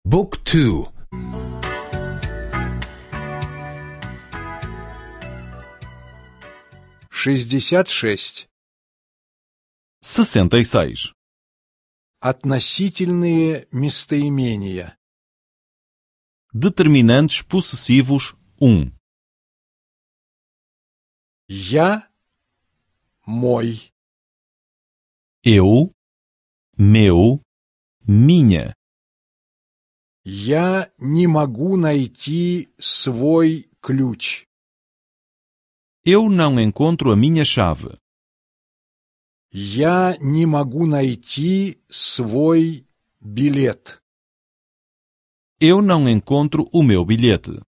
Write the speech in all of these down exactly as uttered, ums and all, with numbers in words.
Book two. Шестьдесят шесть. Sessenta e seis. Относительные местоимения. Determinantes possessivos um. Я, мой. Eu, meu, minha. Я не могу найти свой ключ. Eu não encontro a minha chave. Я не могу найти свой билет. Eu não encontro o meu bilhete.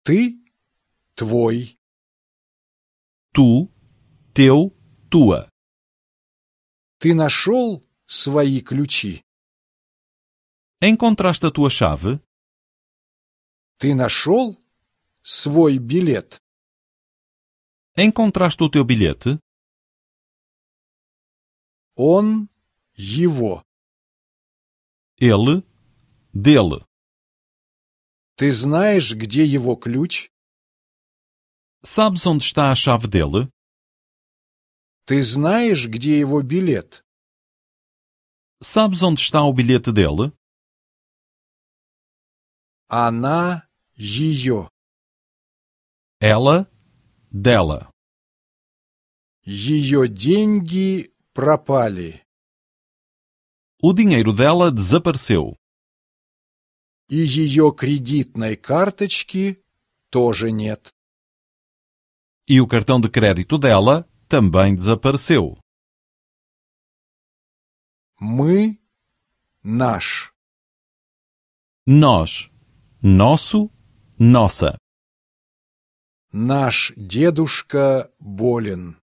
Ты, твой. Tu, teu, tua. Ты нашел свои ключи? Encontraste a tua chave? Ты нашел свой билет? Encontraste o teu bilhete? Он, его. Ele, dele. Ты знаешь, где его ключ? Sabes onde está a chave dele? Ты знаешь, где его билет? Sabes onde está o bilhete dele? Она, ее. Ela, dela. Ее деньги пропали. O dinheiro dela desapareceu. И ее кредитной карточки тоже нет. E o cartão de crédito dela também desapareceu. Мы, наш. Nós, nosso, nossa. Наш дедушка болен.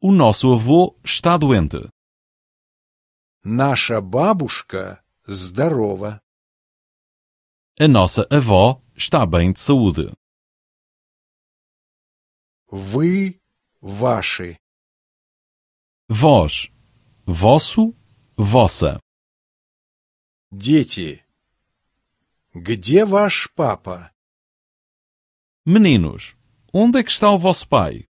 O nosso avô está doente. Наша бабушка здорова. A nossa avó está bem de saúde. Вы, ваши. Vós, vosso, vossa. Дети, где ваш папа? Meninos, onde é que está o vosso pai?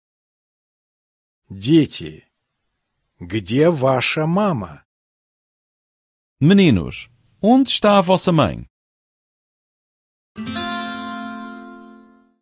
Дети, где ваша мама? Meninos, onde está a vossa mãe?